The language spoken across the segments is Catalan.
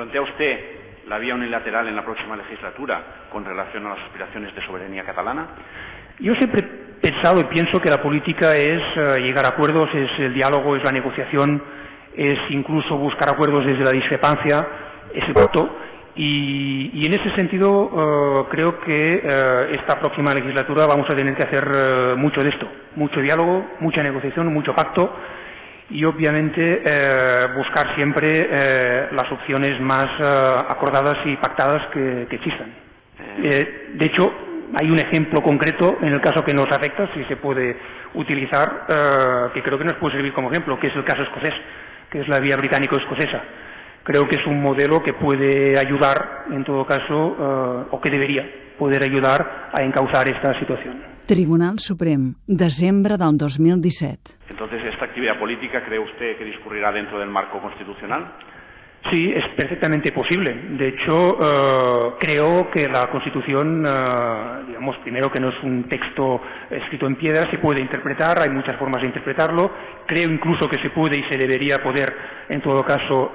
¿Plantea usted la vía unilateral en la próxima legislatura con relación a las aspiraciones de soberanía catalana? Yo siempre he pensado y pienso que la política es llegar a acuerdos, es el diálogo, es la negociación, es incluso buscar acuerdos desde la discrepancia, es el pacto. Y en ese sentido creo que esta próxima legislatura vamos a tener que hacer mucho de esto, mucho diálogo, mucha negociación, mucho pacto y obviamente buscar siempre las opciones más acordadas y pactadas que existan. De hecho, hay un ejemplo concreto en el caso que nos afecta, si se puede utilizar, que creo que nos puede servir como ejemplo, que es el caso escocés, que es la vía británico-escocesa. Creo que es un modelo que puede ayudar, en todo caso, o que debería poder ayudar a encauzar esta situación. Tribunal Suprem, desembre del 2017. Entonces, ¿esta actividad política cree usted que discurrirá dentro del marco constitucional? Sí, es perfectamente posible. De hecho, creo que la Constitución, digamos, primero que no es un texto escrito en piedra, se puede interpretar, hay muchas formas de interpretarlo. Creo incluso que se puede y se debería poder, en todo caso,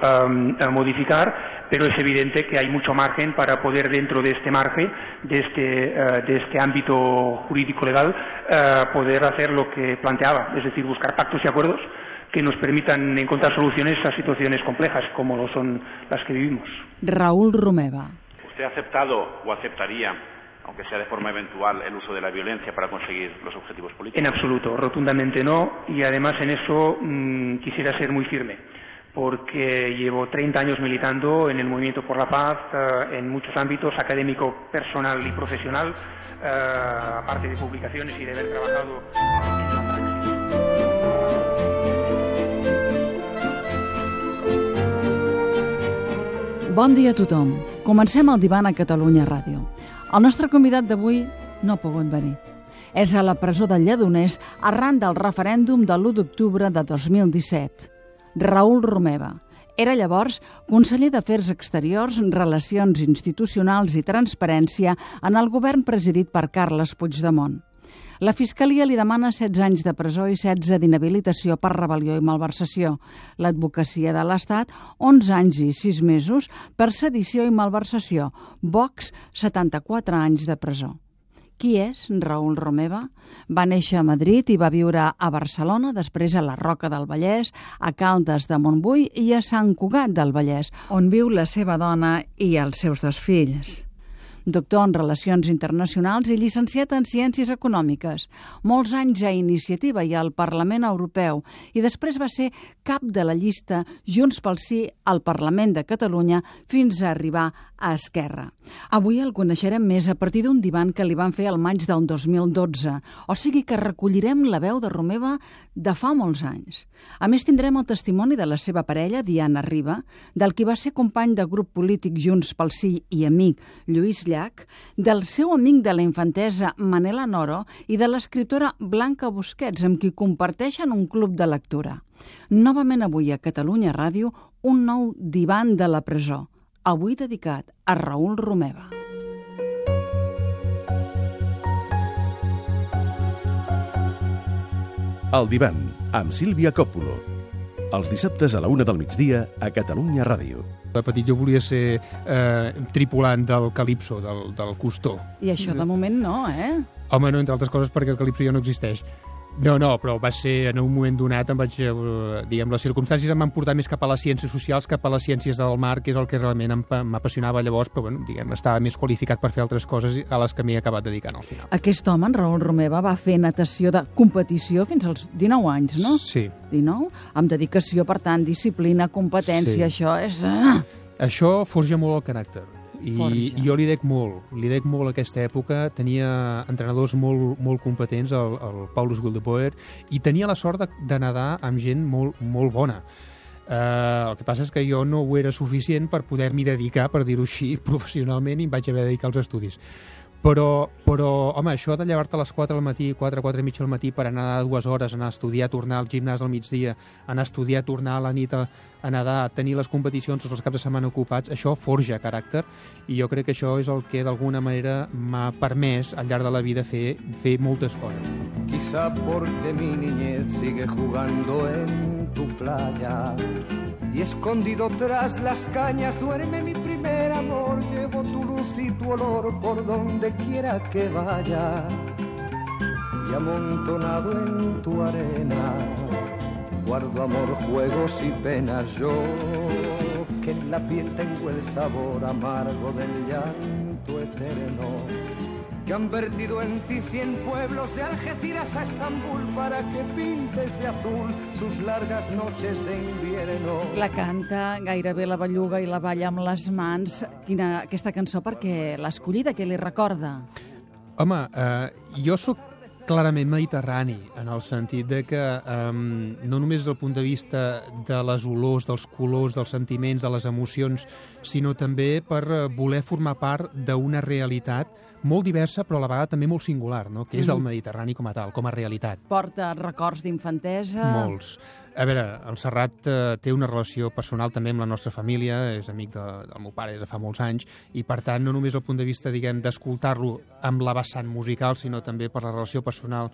modificar, pero es evidente que hay mucho margen para poder, dentro de este margen, de este ámbito jurídico-legal, poder hacer lo que planteaba, es decir, buscar pactos y acuerdos que nos permitan encontrar soluciones a situaciones complejas como lo son las que vivimos. Raúl Romeva. ¿Usted ha aceptado o aceptaría, aunque sea de forma eventual, el uso de la violencia para conseguir los objetivos políticos? En absoluto, rotundamente no, y además en eso quisiera ser muy firme, porque llevo 30 años militando en el Movimiento por la Paz, en muchos ámbitos, académico, personal y profesional, aparte de publicaciones y de haber trabajado en la praxis. Bon dia a tothom. Comencem el Divan a Catalunya Ràdio. El nostre convidat d'avui no ha pogut venir. És a la presó del Lledoners arran del referèndum de l'1 d'octubre de 2017. Raúl Romeva. Era llavors conseller d'Afers Exteriors, Relacions Institucionals i Transparència en el govern presidit per Carles Puigdemont. La Fiscalia li demana 16 anys de presó i 16 d'inhabilitació per rebel·lió i malversació. L'advocacia de l'Estat, 11 anys i 6 mesos per sedició i malversació. Vox, 74 anys de presó. Qui és Raúl Romeva? Va néixer a Madrid i va viure a Barcelona, després a la Roca del Vallès, a Caldes de Montbui i a Sant Cugat del Vallès, on viu la seva dona i els seus 2 fills. Doctor en Relacions Internacionals i llicenciat en Ciències Econòmiques. Molts anys a Iniciativa i al Parlament Europeu i després va ser cap de la llista Junts pel Sí al Parlament de Catalunya fins a arribar a Esquerra. Avui el coneixerem més a partir d'un divan que li van fer al maig del 2012, o sigui que recollirem la veu de Romeva de fa molts anys. A més, tindrem el testimoni de la seva parella, Diana Riba, del qui va ser company de grup polític Junts pel Sí i amic Lluís Llach, del seu amic de la infantesa Manela Noro i de l'escriptora Blanca Busquets, amb qui comparteixen un club de lectura. Novament avui a Catalunya Ràdio, un nou divan de la presó, avui dedicat a Raúl Romeva. El divan, amb Sílvia Coppola. Els dissabtes a la 1 del migdia a Catalunya Ràdio. De petit jo volia ser tripulant del Calipso, del Cousteau. I això de moment no, eh? Home, no, entre altres coses perquè el Calipso ja no existeix. No, però va ser en un moment donat, diguem, les circumstàncies em van portar més cap a les ciències socials, cap a les ciències del mar, que és el que realment m'apassionava llavors, però bueno, diguem, estava més qualificat per fer altres coses a les que m'he acabat dedicant al final. Aquest home, en Raúl Romeva, va fer natació de competició fins als 19 anys, no? Sí. 19? Amb dedicació, per tant, disciplina, competència, sí. Això és... Això forja molt el caràcter. I jo li dec molt a aquesta època. Tenia entrenadors molt competents, el Paulus Wildeboer, i tenia la sort de nedar amb gent molt bona. El que passa és que jo no ho era suficient per poder-m'hi dedicar, per dir-ho així, professionalment, i em vaig haver de dedicar als estudis. Però, home, això de llevar-te a les 4 del matí, 4 i mitja del matí per anar 2 hores, anar a estudiar, tornar al gimnàs al migdia, anar a estudiar, tornar a la nit a nedar, tenir les competicions tots els caps de setmana ocupats, això forja caràcter, i jo crec que això és el que d'alguna manera m'ha permès al llarg de la vida fer moltes coses. Quizá porque mi niñez sigue jugando en tu playa y escondido tras las cañas duerme mi primer amor. Llevo tu luz y tu olor por donde quiera que vaya, y amontonado en tu arena guardo amor, juegos y penas. Yo que en la piel tengo el sabor amargo del llanto eterno, que han vertido en ti 100 pueblos de Algeciras a Estambul para que pintes de azul sus largas noches de invierno. La canta gairebé la belluga i la balla amb les mans. Aquesta cançó, perquè l'ha escollida, què li recorda? Home, jo sóc clarament mediterrani, en el sentit de que no només des del punt de vista de les olors, dels colors, dels sentiments, de les emocions, sinó també per voler formar part d'una realitat molt diversa, però a la vegada també molt singular, no? Que és el Mediterrani com a tal, com a realitat. Porta records d'infantesa? Molts. A veure, el Serrat té una relació personal també amb la nostra família, és amic del meu pare des de fa molts anys, i per tant, no només el punt de vista, diguem, d'escoltar-lo amb la vessant musical, sinó també per la relació personal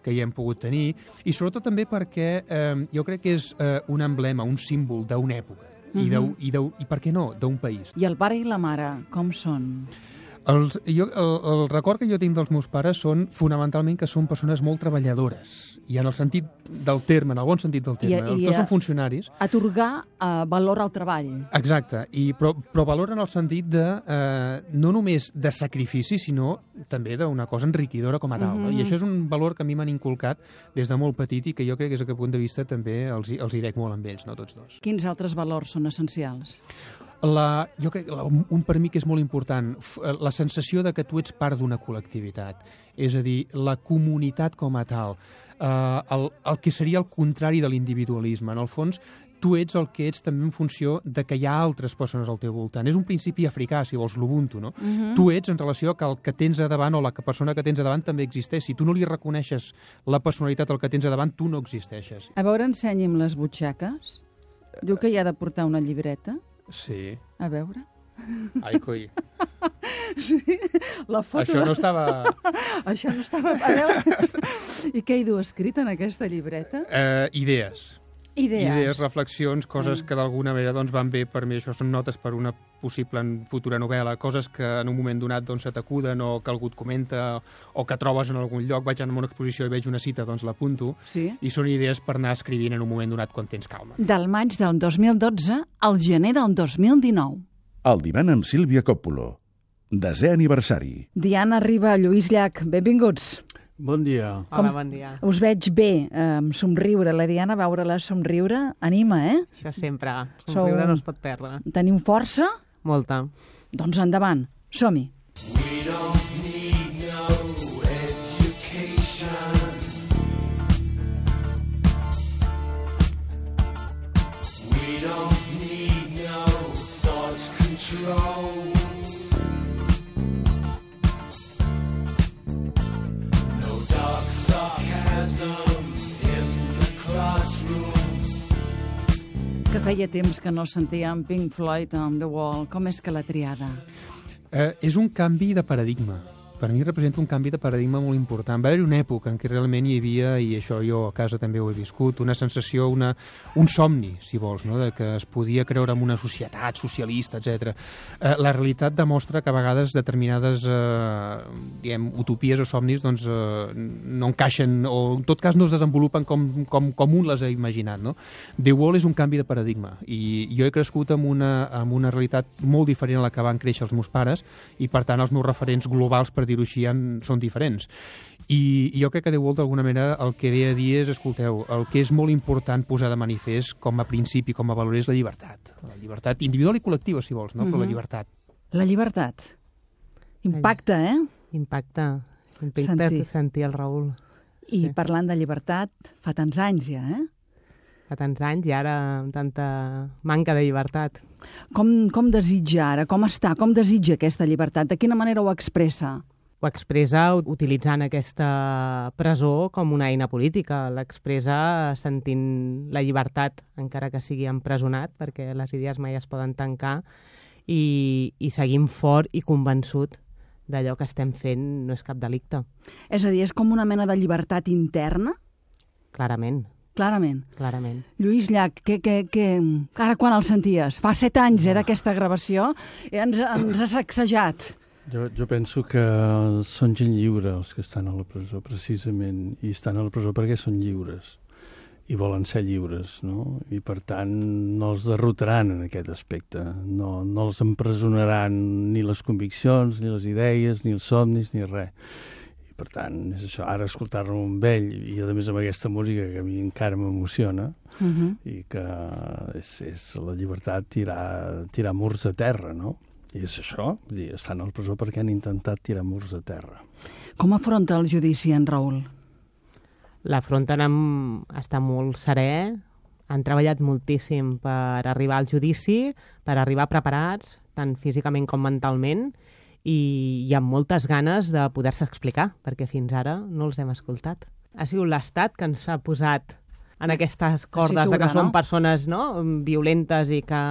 que hi hem pogut tenir, i sobretot també perquè jo crec que és un emblema, un símbol d'una època, i per què no, d'un país. I el pare i la mare, com són? El record que jo tinc dels meus pares són fonamentalment que són persones molt treballadores, i en el sentit del terme, en el bon sentit del terme. Tots són funcionaris. Atorgar valor al treball. Exacte, però valor en el sentit de no només de sacrifici, sinó també d'una cosa enriquidora com a tal. No? I això és un valor que a mi m'han inculcat des de molt petit i que jo crec que des d'aquest punt de vista també els hi dec molt amb ells, no tots dos. Quins altres valors són essencials? Jo crec que un per mi que és molt important, la sensació de que tu ets part d'una col·lectivitat, és a dir, la comunitat com a tal, el que seria el contrari de l'individualisme. En el fons, tu ets el que ets també en funció de que hi ha altres persones al teu voltant. És un principi africà, si vols, l'Ubuntu, no? Tu ets en relació que el que tens a davant o la persona que tens a davant també existeix. Si tu no li reconeixes la personalitat al que tens a davant, tu no existeixes. A veure, ensenyi'm les butxaques. Diu que hi ha de portar una llibreta. Sí. A veure. Ai, coi. Sí, la foto... Això no estava... Això no estava... A veure... I què hi du escrit en aquesta llibreta? Idees. Idees, reflexions, coses que d'alguna manera doncs, van bé per mi. Això són notes per una possible futura novel·la, coses que en un moment donat doncs, se t'acuden o que algú et comenta o que trobes en algun lloc. Vaig anar a una exposició i veig una cita, doncs l'apunto. Sí. I són idees per anar escrivint en un moment donat quan tens calma. Del maig del 2012 al gener del 2019. El divan amb Sílvia Coppola. 10è aniversari. Diana Riba, Lluís Llach, benvinguts. Bon dia. Hola, bon dia. Us veig bé, somriure. La Diana, veure-la somriure, anima, Això sempre. Somriure no es pot perdre. Tenim força? Molta. Doncs endavant, som-hi. We don't need no education. We don't need no thought control. Que feia temps que no sentíem Pink Floyd on the Wall. Com és que la triada? És un canvi de paradigma. Per mi representa un canvi de paradigma molt important. Va haver-hi una època en què realment hi havia, i això jo a casa també ho he viscut, una sensació, un somni, si vols, no? De que es podia creure en una societat socialista, etc. La realitat demostra que a vegades determinades utopies o somnis doncs, no encaixen, o en tot cas no es desenvolupen com un les ha imaginat. No? The Wall és un canvi de paradigma, i jo he crescut amb una realitat molt diferent a la que van créixer els meus pares, i per tant els meus referents globals, per dir-ho així, són diferents. I jo crec que The Wall, d'alguna manera, el que ve a dir és, escolteu, el que és molt important posar de manifest com a principi, com a valor, és la llibertat. La llibertat individual i col·lectiva, si vols, no? Però la llibertat. La llibertat. Impacta, Impacta sentir el Raül. I parlant de llibertat, fa tants anys ja, Fa tants anys i ara amb tanta manca de llibertat. Com desitja ara? Com està? Com desitja aquesta llibertat? De quina manera ho expressa? Ho expressa utilitzant aquesta presó com una eina política. L'expressa sentint la llibertat, encara que sigui empresonat, perquè les idees mai es poden tancar, i seguim fort i convençut d'allò que estem fent no és cap delicte. És a dir, és com una mena de llibertat interna? Clarament. Clarament. Clarament. Lluís Llach, ara quan el senties? Fa 7 anys d'aquesta gravació, ens ha sacsejat. Jo penso que són gent lliure els que estan a la presó, precisament, i estan a la presó perquè són lliures i volen ser lliures, no? I per tant no els derrotaran en aquest aspecte, no els empresonaran ni les conviccions, ni les idees, ni els somnis, ni res. Per tant, és això, ara escoltar-lo amb ell i a més amb aquesta música que a mi encara m'emociona i que és la llibertat tirar murs a terra, no? I és això, estan a la presó perquè han intentat tirar murs a terra. Com afronta el judici en Raül? L'afronten està molt serè, han treballat moltíssim per arribar al judici, per arribar preparats, tant físicament com mentalment, i amb moltes ganes de poder-se explicar, perquè fins ara no els hem escoltat. Ha sigut l'Estat que ens ha posat en aquestes cordes de que són persones violentes i que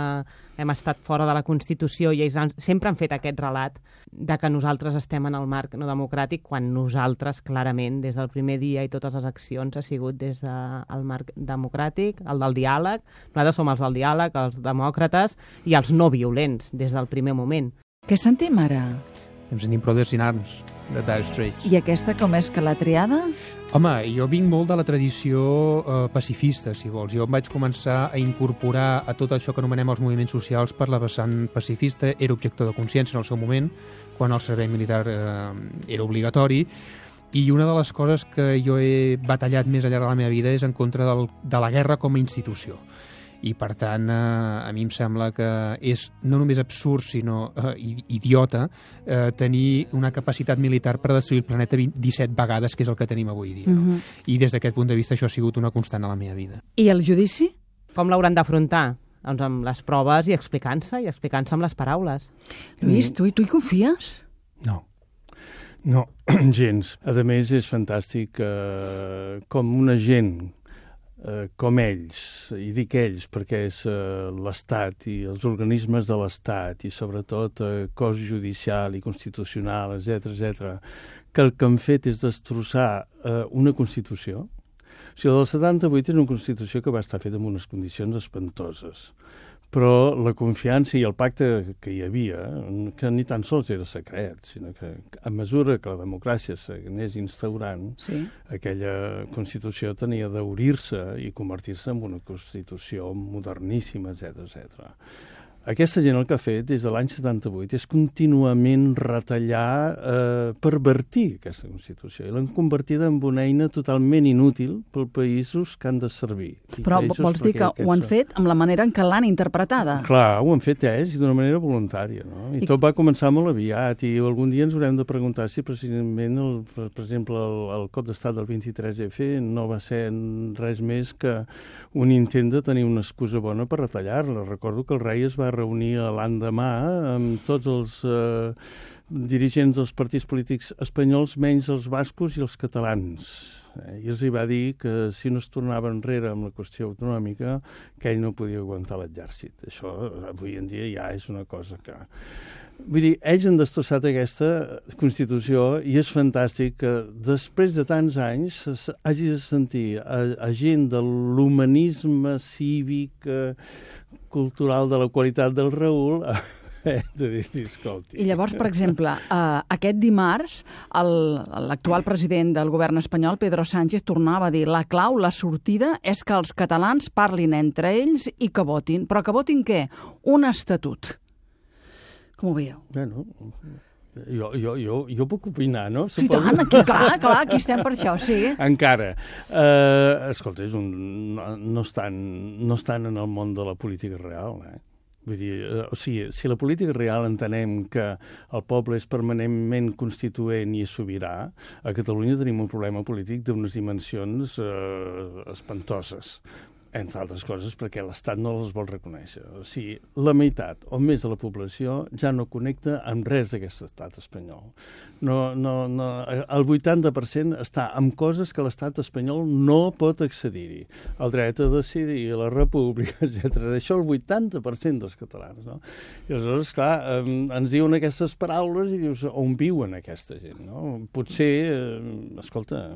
hem estat fora de la Constitució, i ells sempre han fet aquest relat de que nosaltres estem en el marc no democràtic, quan nosaltres, clarament, des del primer dia i totes les accions, ha sigut des del marc democràtic, el del diàleg. Nosaltres som els del diàleg, els demòcrates i els no violents, des del primer moment. Què sentim ara? Em sentim Brothers in Arms, de Dire Straits. I aquesta com és que l'ha triada? Home, jo vinc molt de la tradició pacifista, si vols. Jo em vaig començar a incorporar a tot això que anomenem els moviments socials per la vessant pacifista. Era objector de consciència en el seu moment, quan el servei militar era obligatori. I una de les coses que jo he batallat més al llarg de la meva vida és en contra de la guerra com a institució. I, per tant, a mi em sembla que és no només absurd, sinó idiota tenir una capacitat militar per destruir el planeta 17 vegades, que és el que tenim avui dia. No? I des d'aquest punt de vista això ha sigut una constant a la meva vida. I el judici? Com l'hauran d'afrontar? Doncs amb les proves i explicant-se amb les paraules. Lluís, tu hi confies? No, gens. A més, és fantàstic com una gent com ells, i dic ells perquè és l'Estat i els organismes de l'Estat i sobretot cos judicial i constitucional, etc., que el que han fet és destrossar una Constitució. O sigui, el del 78 és una Constitució que va estar feta en unes condicions espantoses, però la confiança i el pacte que hi havia, que ni tan sols era secret, sinó que a mesura que la democràcia s'anés instaurant, aquella Constitució tenia d'obrir-se i convertir-se en una Constitució moderníssima, etc. Aquesta gent el que ha fet des de l'any 78 és contínuament retallar, pervertir aquesta Constitució, i l'han convertida en una eina totalment inútil pels països que han de servir. Però vols dir que ho han fet amb la manera en què l'han interpretada? Clar, ho han fet ells d'una manera voluntària, no? I tot va començar molt aviat, i algun dia ens haurem de preguntar si precisament, per exemple, el cop d'estat del 23F no va ser res més que un intent de tenir una excusa bona per retallar-la. Recordo que el rei es va reunir l'endemà amb tots els dirigents dels partits polítics espanyols, menys els bascos i els catalans. I els hi va dir que si no es tornava enrere amb la qüestió autonòmica, que ell no podia aguantar l'exèrcit. Això avui en dia ja és una cosa que... Vull dir, ells han destrossat aquesta Constitució i és fantàstic que després de tants anys hagi de sentir a gent de l'humanisme cívic, cultural, de la qualitat del Raül, de dir-li, escolti. I llavors, per exemple, aquest dimarts, l'actual president del govern espanyol, Pedro Sánchez, tornava a dir la clau, la sortida, és que els catalans parlin entre ells i que votin. Però que votin què? Un estatut. Com ho veieu? Bueno, jo puc opinar, no? Sí, tant, clar, aquí estem per això, sí. Encara. Escolta, no estan en el món de la política real, Vull dir, si la política real entenem que el poble és permanentment constituent i és sobirà, a Catalunya tenim un problema polític d'unes dimensions espantoses, entre altres coses perquè l'Estat no les vol reconèixer. O sigui, la meitat o més de la població ja no connecta amb res d'aquest estat espanyol. El 80% està amb coses que l'estat espanyol no pot accedir-hi. El dret a decidir, la república, etc. D'això el 80% dels catalans, no? I aleshores, clar, ens diuen aquestes paraules i dius, on viuen aquesta gent, no? Potser, escolta...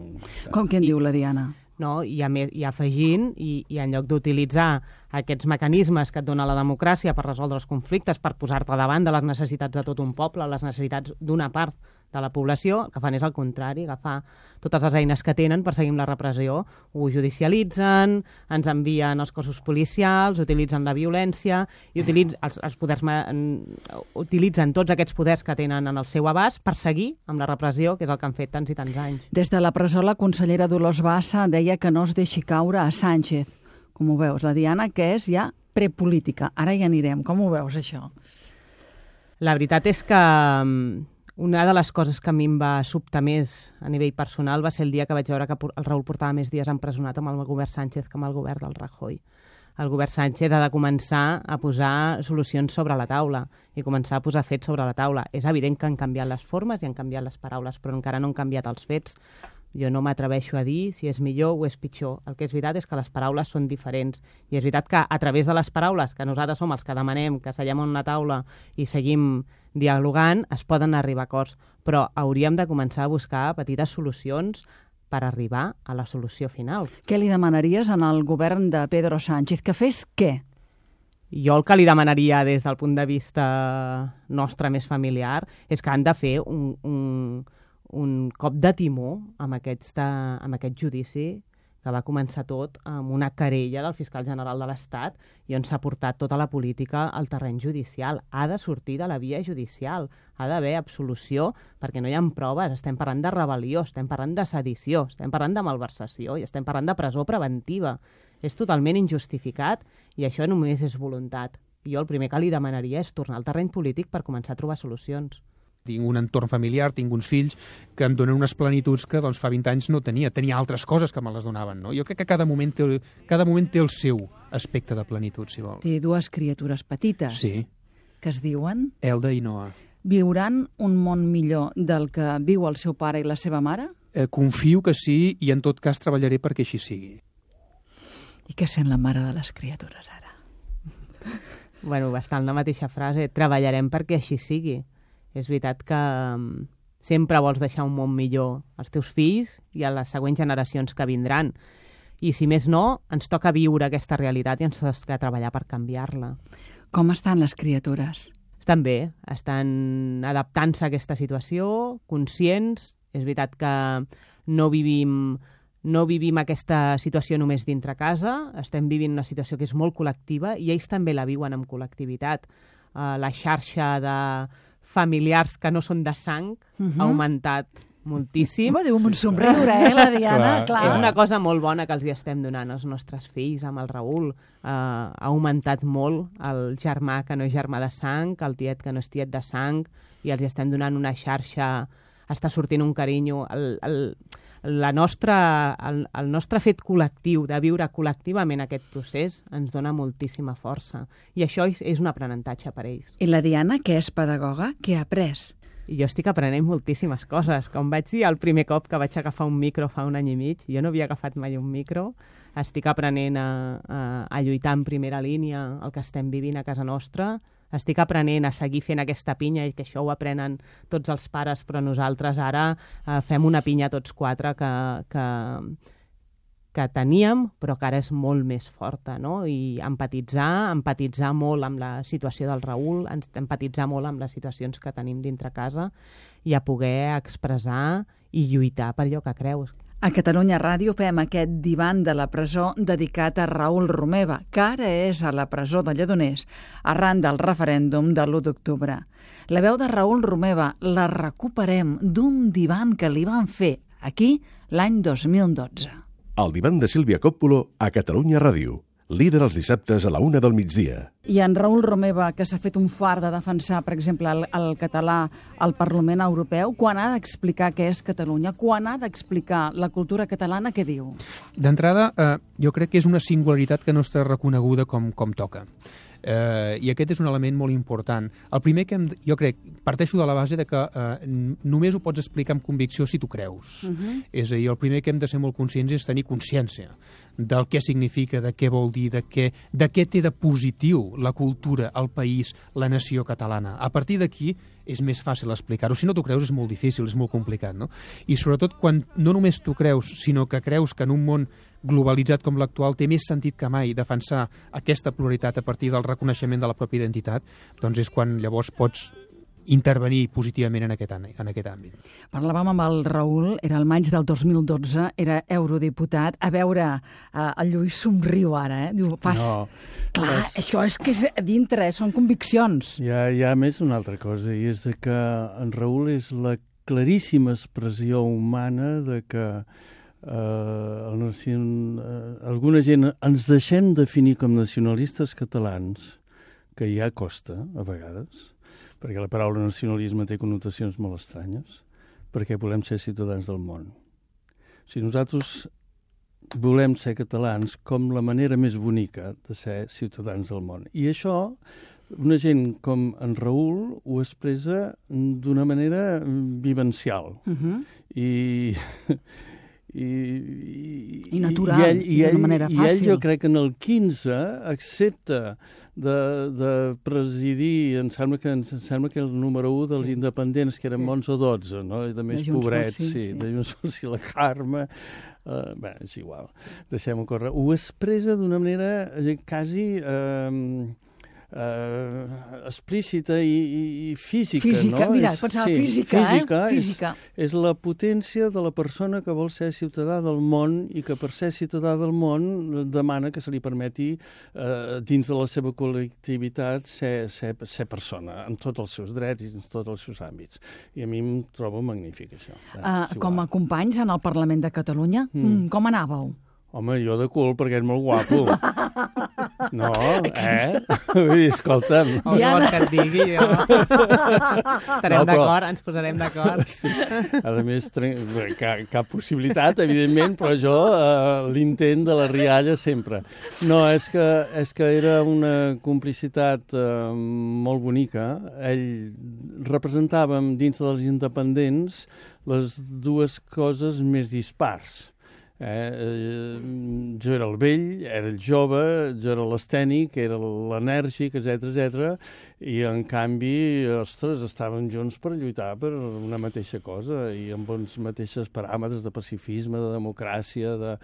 Com que en diu la Diana? no? I afegint, i en lloc d'utilitzar aquests mecanismes que et dona la democràcia per resoldre els conflictes, per posar-te davant de les necessitats de tot un poble, les necessitats d'una part de la població, el que fan és el contrari, agafar totes les eines que tenen per seguir amb la repressió, ho judicialitzen, ens envien els cossos policials, utilitzen la violència, i utilitzen tots aquests poders que tenen en el seu abast per seguir amb la repressió, que és el que han fet tants i tants anys. Des de la presó, la consellera Dolors Bassa deia que no es deixi caure a Sánchez. Com ho veus? La Diana, que és ja prepolítica. Ara hi anirem. Com ho veus, això? La veritat és que una de les coses que a mi em va sobtar més a nivell personal va ser el dia que vaig veure que el Raül portava més dies empresonat amb el govern Sánchez que amb el govern del Rajoy. El govern Sánchez ha de començar a posar solucions sobre la taula i començar a posar fets sobre la taula. És evident que han canviat les formes i han canviat les paraules, però encara no han canviat els fets. Jo no m'atreveixo a dir si és millor o és pitjor. El que és veritat és que les paraules són diferents. I és veritat que a través de les paraules, que nosaltres som els que demanem que seiem en una taula i seguim dialogant, es poden arribar a acords. Però hauríem de començar a buscar petites solucions per arribar a la solució final. Què li demanaries en el govern de Pedro Sánchez? Que fes què? Jo el que li demanaria des del punt de vista nostre més familiar és que han de fer un cop de timó amb aquest judici que va començar tot amb una querella del fiscal general de l'Estat i on s'ha portat tota la política al terreny judicial. Ha de sortir de la via judicial, ha d'haver absolució perquè no hi ha proves. Estem parlant de rebel·lió, estem parlant de sedició, estem parlant de malversació i estem parlant de presó preventiva. És totalment injustificat i això només és voluntat. Jo el primer que li demanaria és tornar al terreny polític per començar a trobar solucions. Tinc un entorn familiar, tinc uns fills que em donen unes plenituds que doncs, fa 20 anys no tenia. Tenia altres coses que me les donaven. No? Jo crec que cada moment té el seu aspecte de plenitud, si vol. Té dues criatures petites. Sí. Que es diuen? Elda i Noa. Viuran un món millor del que viu el seu pare i la seva mare? Confio que sí i en tot cas treballaré perquè així sigui. I què sent la mare de les criatures ara? Bueno, va estar en la mateixa frase. Treballarem perquè així sigui. És veritat que sempre vols deixar un món millor als teus fills i a les següents generacions que vindran. I si més no, ens toca viure aquesta realitat i ens toca treballar per canviar-la. Com estan les criatures? Estan bé, estan adaptant-se a aquesta situació, conscients. És veritat que no vivim aquesta situació només dintre casa, estem vivint una situació que és molt col·lectiva i ells també la viuen amb col·lectivitat. La xarxa de familiars que no són de sang ha augmentat moltíssim. Diu un somriure, la Diana? Clar. És una cosa molt bona que els hi estem donant als nostres fills, amb el Raül. Ha augmentat molt el germà que no és germà de sang, el tiet que no és tiet de sang, i els hi estem donant una xarxa, està sortint un carinyo. El nostre fet col·lectiu, de viure col·lectivament aquest procés, ens dona moltíssima força. I això és un aprenentatge per ells. I la Diana, que és pedagoga, què ha après? Jo estic aprenent moltíssimes coses. Com vaig dir el primer cop que vaig agafar un micro fa un any i mig, jo no havia agafat mai un micro, estic aprenent a lluitar en primera línia el que estem vivint a casa nostra, estic aprenent a seguir fent aquesta pinya i que això ho aprenen tots els pares, però nosaltres ara fem una pinya tots quatre que teníem, però que ara és molt més forta, no? I empatitzar molt amb la situació del Raül, empatitzar molt amb les situacions que tenim dintre casa i a poder expressar i lluitar per allò que creus. A Catalunya Ràdio fem aquest divan de la presó dedicat a Raül Romeva, que ara és a la presó de Lledoners, arran del referèndum de l'1 d'octubre. La veu de Raül Romeva la recuperem d'un divan que li van fer aquí l'any 2012. El divan de Sílvia Coppolo a Catalunya Ràdio. Líder els dissabtes a la 1 del migdia. I en Raül Romeva, que s'ha fet un fart de defensar, per exemple, el català al Parlament Europeu, quan ha d'explicar què és Catalunya, quan ha d'explicar la cultura catalana, què diu? D'entrada, jo crec que és una singularitat que no està reconeguda com toca. I aquest és un element molt important. El primer que jo crec, parteixo de la base de que només ho pots explicar amb convicció si tu creus. És a dir, el primer que hem de ser molt conscients és tenir consciència del què significa, de què vol dir, de què té de positiu la cultura, el país, la nació catalana. A partir d'aquí és més fàcil explicar-ho. Si no t'ho creus és molt difícil, és molt complicat, no? I sobretot quan no només t'ho creus, sinó que creus que en un món globalitzat com l'actual té més sentit que mai defensar aquesta pluralitat a partir del reconeixement de la pròpia identitat, doncs és quan llavors pots intervenir positivament en aquest àmbit. Parlàvem amb el Raül, era el maig del 2012, era eurodiputat. A veure, el Lluís somriu ara, Diu, Clar, això és que és dintre, són conviccions. Hi ha més una altra cosa, i és que en Raül és la claríssima expressió humana de que alguna gent ens deixem definir com nacionalistes catalans, que ja costa, a vegades, perquè la paraula nacionalisme té connotacions molt estranyes, perquè volem ser ciutadans del món. Si nosaltres volem ser catalans com la manera més bonica de ser ciutadans del món. I això, una gent com en Raül ho expressa d'una manera vivencial. I natural, d'una manera fàcil. I ell, jo crec que en el 15 accepta de presidir, em sembla que el número 1 dels independents, que eren 11 o 12, no? I de més pobrets, de Junts pel Sí, la Carme, bé, és igual, deixem-ho córrer. Ho expressa d'una manera quasi explícita i física, no? Mira, pensava física. És la potència de la persona que vol ser ciutadà del món i que per ser ciutadà del món demana que se li permeti dins de la seva col·lectivitat ser persona, en tots els seus drets i en tots els seus àmbits. I a mi em trobo magnífic, això. Com a companys en el Parlament de Catalunya, com anàveu? Home, jo de cul, perquè és molt guapo. No, Vull dir, escolta'm. No vols que et digui, jo. Estarem d'acord, ens posarem d'acord. Sí. A més, cap possibilitat, evidentment, però jo l'intent de la rialla sempre. No, és que era una complicitat molt bonica. Ell representàvem dins dels independents les dues coses més dispars. Jo era el vell, era el jove, jo era l'estènic, era l'enèrgic, etc. I en canvi, ostres, estàvem junts per lluitar per una mateixa cosa i amb uns mateixos paràmetres de pacifisme, de democràcia, de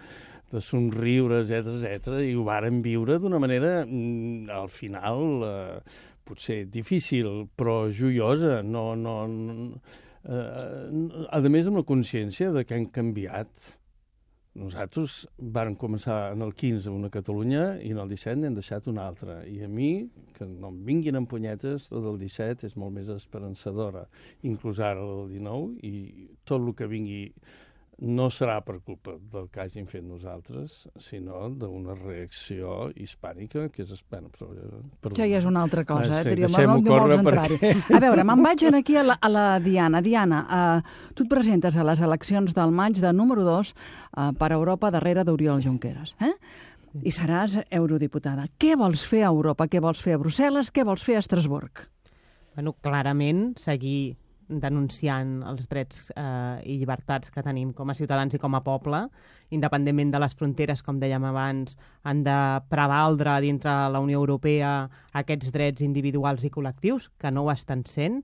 somriure, etc. I ho vàrem viure d'una manera, al final, potser difícil, però joiosa. A més, amb la consciència de que hem canviat. Nosaltres vàrem començar en el 15 una Catalunya i en el 17 n'hem deixat una altra. I a mi, que no em vinguin amb punyetes, la del 17 és molt més esperançadora, inclús ara la del 19, i tot el que vingui no serà per culpa del que hàgim fet nosaltres, sinó d'una reacció hispànica, que és... Això ja és una altra cosa, no vols entrar-hi. A veure, me'n vaig aquí a la Diana. Diana, tu et presentes a les eleccions del maig de número 2 per Europa darrere d'Oriol Junqueras, i seràs eurodiputada. Què vols fer a Europa? Què vols fer a Brussel·les? Què vols fer a Estrasburg? Bueno, clarament, seguir denunciant els drets i llibertats que tenim com a ciutadans i com a poble, independentment de les fronteres, com dèiem abans, han de prevaldre dintre la Unió Europea aquests drets individuals i col·lectius, que no ho estan sent.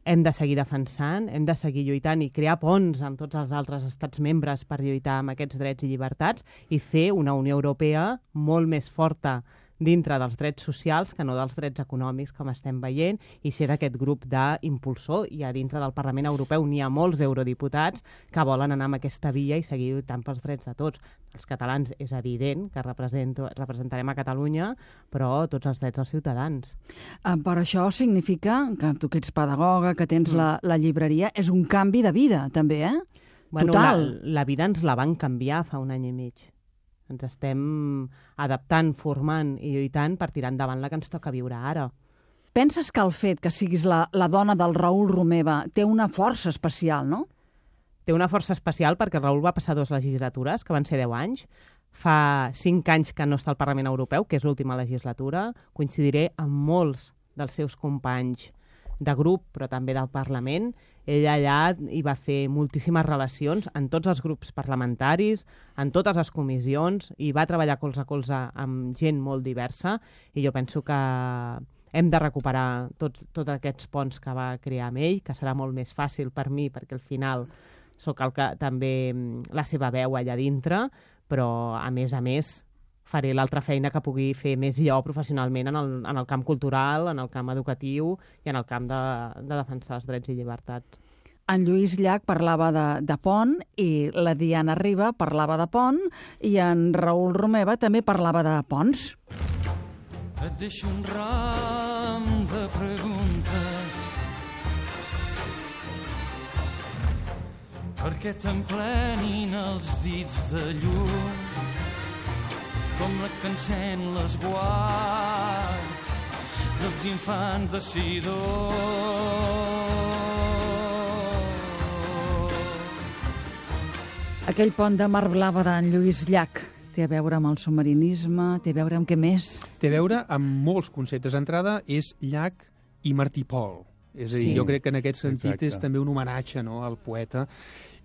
Hem de seguir defensant, hem de seguir lluitant i crear ponts amb tots els altres estats membres per lluitar amb aquests drets i llibertats i fer una Unió Europea molt més forta dintre dels drets socials que no dels drets econòmics, com estem veient, i ser d'aquest grup d'impulsor. I a dintre del Parlament Europeu n'hi ha molts eurodiputats que volen anar amb aquesta via i seguir lluitant pels drets de tots. Els catalans és evident que representarem a Catalunya, però tots els drets dels ciutadans. Per això significa que tu que ets pedagoga, que tens la llibreria, és un canvi de vida, també, Bueno, total. La vida ens la van canviar fa un any i mig. Ens estem adaptant, formant i lluitant per tirar endavant la que ens toca viure ara. Penses que el fet que siguis la dona del Raül Romeva té una força especial, no? Té una força especial perquè el Raül va passar 2 legislatures, que van ser 10 anys. Fa 5 anys que no està al Parlament Europeu, que és l'última legislatura. Coincidiré amb molts dels seus companys de grup, però també del Parlament. Ell allà hi va fer moltíssimes relacions en tots els grups parlamentaris, en totes les comissions, i va treballar colze a colze amb gent molt diversa, i jo penso que hem de recuperar tots aquests ponts que va crear amb ell, que serà molt més fàcil per mi, perquè al final sóc també la seva veu allà dintre, però a més faré l'altra feina que pugui fer més jo professionalment en el camp cultural, en el camp educatiu i en el camp de defensar els drets i llibertats. En Lluís Llach parlava de pont i la Diana Riba parlava de pont i en Raül Romeva també parlava de ponts. Et deixo un ram de preguntes perquè t'emplenin els dits de llum com la que encén l'esguard dels infants de Sidó. Aquell pont de mar blava d'en Lluís Llach té a veure amb el submarinisme, té a veure amb què més? Té a veure amb molts conceptes. D'entrada és Llach i Martí Pol. És a dir, jo crec que en aquest sentit és també un homenatge, no?, al poeta.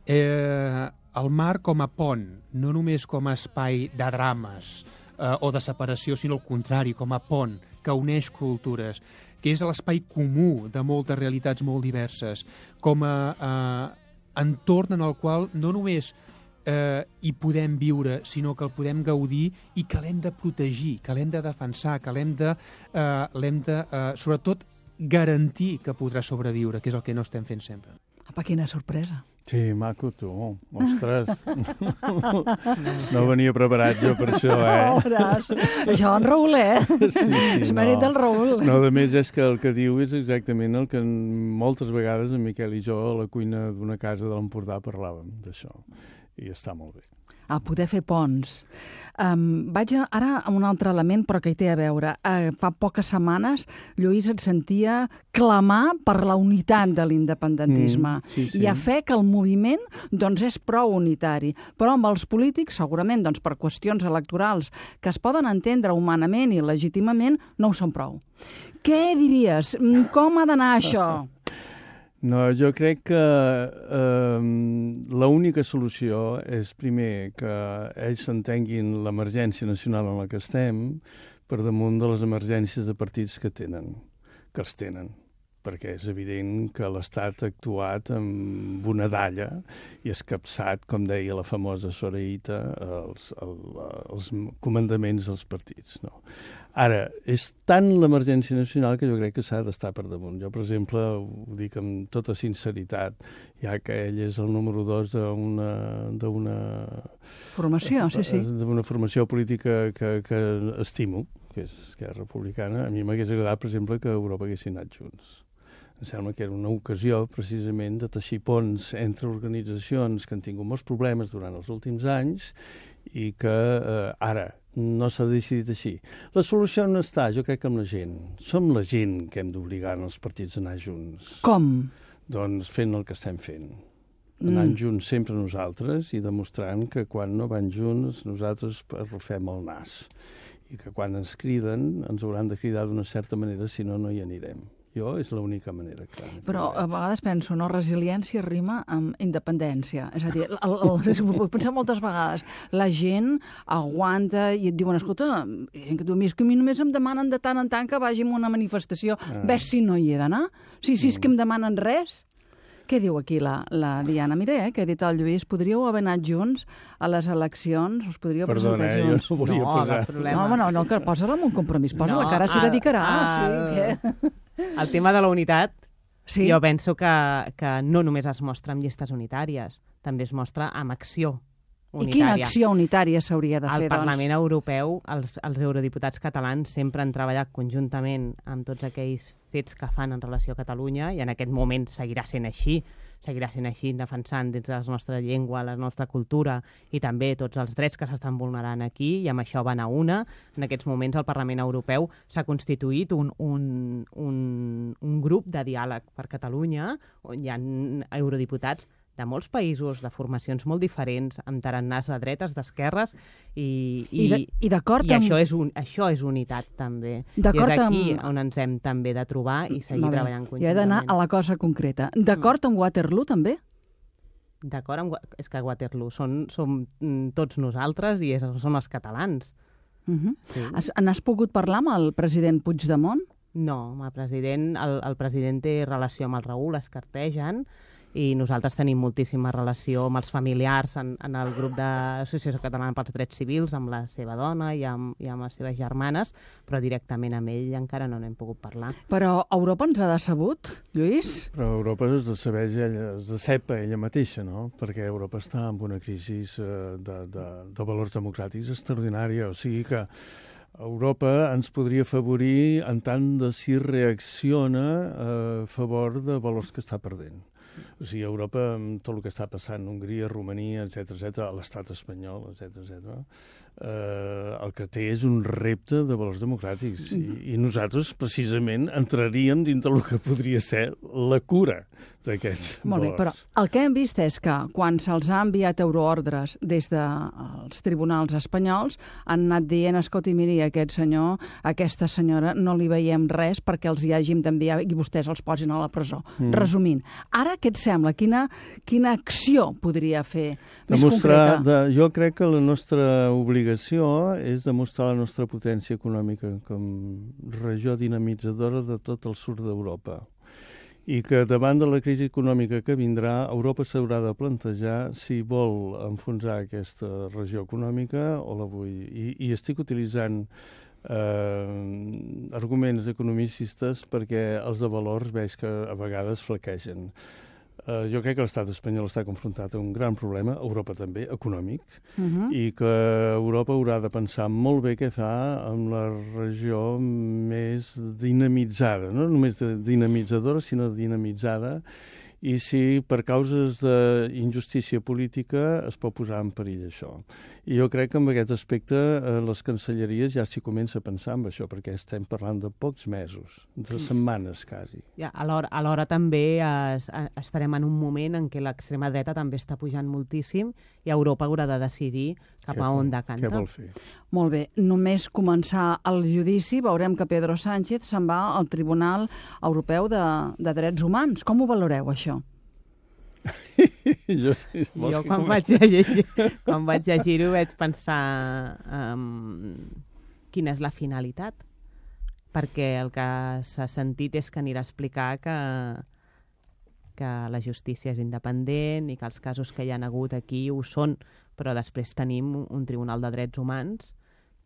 El mar com a pont, no només com a espai de drames o de separació, sinó al contrari, com a pont que uneix cultures, que és l'espai comú de moltes realitats molt diverses, com a entorn en el qual no només hi podem viure, sinó que el podem gaudir i que l'hem de protegir, que l'hem de defensar, que l'hem de sobretot, garantir que podrà sobreviure, que és el que no estem fent sempre. Apa, quina sorpresa. Sí, maco, tu. Ostres. No venia preparat jo per això, Això en Raül, Sí, és mèrit del Raül. No, a més, és que el que diu és exactament el que moltes vegades en Miquel i jo a la cuina d'una casa de l'Empordà parlàvem d'això. I està molt bé. A poder fer ponts. Vaig ara a un altre element, però que hi té a veure. Fa poques setmanes, Lluís et sentia clamar per la unitat de l'independentisme. Sí. I a fe que el moviment doncs, és prou unitari. Però amb els polítics, segurament, doncs, per qüestions electorals que es poden entendre humanament i legítimament, no ho són prou. Què diries? Com ha d'anar això? No, jo crec que l'única solució és, primer, que ells s'entenguin l'emergència nacional en la que estem per damunt de les emergències de partits que els tenen. Perquè és evident que l'Estat ha actuat amb una dalla i ha escapçat, com deia la famosa Soreïta, els comandaments dels partits. No? Ara, és tant l'emergència nacional que jo crec que s'ha d'estar per damunt. Jo, per exemple, ho dic amb tota sinceritat, ja que ell és el número 2 d'una formació, sí. D'una formació política que estimo, que és Esquerra Republicana. A mi m'hagués agradat, per exemple, que Europa haguessin anat junts. Em sembla que era una ocasió, precisament, de teixir ponts entre organitzacions que han tingut molts problemes durant els últims anys i que ara no s'ha decidit així. La solució no està, jo crec, amb la gent. Som la gent que hem d'obligar els partits a anar junts. Com? Doncs fent el que estem fent. Anant junts sempre nosaltres i demostrant que quan no van junts nosaltres arrufem el nas. I que quan ens criden ens hauran de cridar d'una certa manera, si no, no hi anirem. Jo és l'única manera, clar. Però a vegades penso, no? Resiliència rima amb independència. És a dir, ho pensem moltes vegades. La gent aguanta i et diuen, escolta, que a mi només em demanen de tant en tant que vagi a una manifestació. Ves si no hi he d'anar? Si és que em demanen res? Què diu aquí la Diana? Mira, que ha dit el Lluís, podríeu haver anat junts a les eleccions, us podríeu presentar junts. Jo no volia posar. No, que posa-la amb un compromís, posa-la, que ara s'hi dedicarà. El tema de la unitat, jo penso que no només es mostra amb llistes unitàries, també es mostra amb acció unitària. I quina acció unitària s'hauria de fer, doncs? Al Parlament Europeu, els eurodiputats catalans sempre han treballat conjuntament amb tots aquells fets que fan en relació a Catalunya i en aquest moment seguirà sent així defensant dins de la nostra llengua, la nostra cultura i també tots els drets que s'estan vulnerant aquí i amb això van a una. En aquests moments el Parlament Europeu s'ha constituït un grup de diàleg per Catalunya on hi ha eurodiputats de molts països, de formacions molt diferents, amb tarannàs de dretes, d'esquerres, i això és unitat, també. I és aquí on ens hem també de trobar i seguir treballant conjuntament. Jo he d'anar a la cosa concreta. D'acord amb Waterloo, també? D'acord amb... És que Waterloo som tots nosaltres i són els catalans. N'has pogut parlar amb el president Puigdemont? No, el president té relació amb el Raül, es cartegen, i nosaltres tenim moltíssima relació amb els familiars en el grup d'Associació Catalana pels Drets Civils, amb la seva dona i amb les seves germanes, però directament amb ell encara no n'hem pogut parlar. Però Europa ens ha decebut, Lluís? Però Europa es decep ella mateixa, no? Perquè Europa està en una crisi de valors democràtics extraordinària, o sigui que Europa ens podria afavorir en tant de si reacciona a favor de valors que està perdent. O sigui, Europa, amb tot el que està passant, Hongria, Romania, etc., l'estat espanyol, etc., el que té és un repte de valors democràtics. I nosaltres, precisament, entraríem dintre el que podria ser la cura d'aquests valors. Molt bé, però el que hem vist és que quan se'ls ha enviat euroordres des dels tribunals espanyols han anat dient, escolti, miri, aquest senyor, aquesta senyora, no li veiem res perquè els hi hàgim d'enviar i vostès els posin a la presó. Resumint, ara què et sembla? Quina acció podria fer més concreta? Jo crec que la nostra obligació és demostrar la nostra potència econòmica com regió dinamitzadora de tot el sud d'Europa. I que davant de la crisi econòmica que vindrà, Europa s'haurà de plantejar si vol enfonsar aquesta regió econòmica o la vull. I estic utilitzant arguments economicistes perquè els de valors veig que a vegades flaquegen. Jo crec que l'estat espanyol està confrontat a un gran problema, Europa també, econòmic, i que Europa haurà de pensar molt bé què fa amb la regió més dinamitzada, no només dinamitzadora, sinó dinamitzada, i si per causes d'injustícia política es pot posar en perill això. I jo crec que en aquest aspecte les cancelleries ja s'hi comença a pensar en això, perquè estem parlant de pocs mesos, de setmanes quasi. Ja, alhora també estarem en un moment en què l'extrema dreta també està pujant moltíssim i Europa haurà de decidir cap a on decanta. Què vol fer? Molt bé, només començar el judici veurem que Pedro Sánchez se'n va al Tribunal Europeu de Drets Humans. Com ho valoreu, això? Jo quan vaig llegir-ho vaig pensar quina és la finalitat, perquè el que s'ha sentit és que anirà a explicar que la justícia és independent i que els casos que hi ha hagut aquí ho són, però després tenim un Tribunal de Drets Humans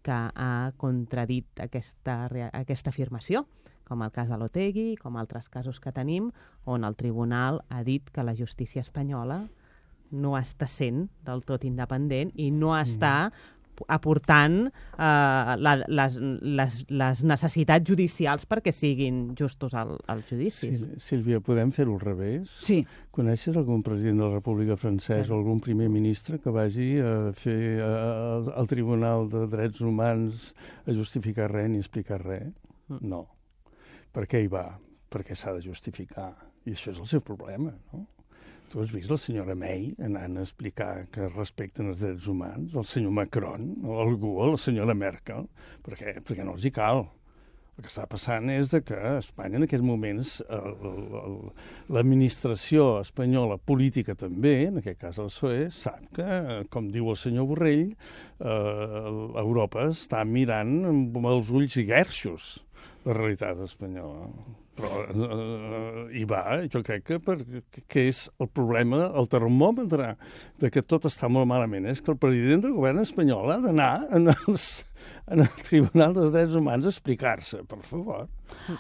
que ha contradit aquesta afirmació, com el cas de l'Otegi, com altres casos que tenim, on el tribunal ha dit que la justícia espanyola no està sent del tot independent i no està aportant les necessitats judicials perquè siguin justos als judicis. Sílvia, podem fer-ho al revés? Sí. Coneixes algun president de la República Francesa o algun primer ministre que vagi a fer al Tribunal de Drets Humans a justificar res ni explicar res? No. Per què hi va? Perquè s'ha de justificar. I això és el seu problema, no? Tu has vist la senyora May anant a explicar que respecten els drets humans, el senyor Macron, o algú, o la senyora Merkel? Perquè no els hi cal. El que està passant és que a Espanya en aquests moments l'administració espanyola política també, en aquest cas el PSOE, sap que, com diu el senyor Borrell, Europa està mirant amb els ulls guerxos la realitat espanyola. Però hi va, jo crec que és el problema, el termòmetre de que tot està molt malament, és que el president del govern espanyol ha d'anar en el Tribunal dels Drets Humans a explicar-se, per favor.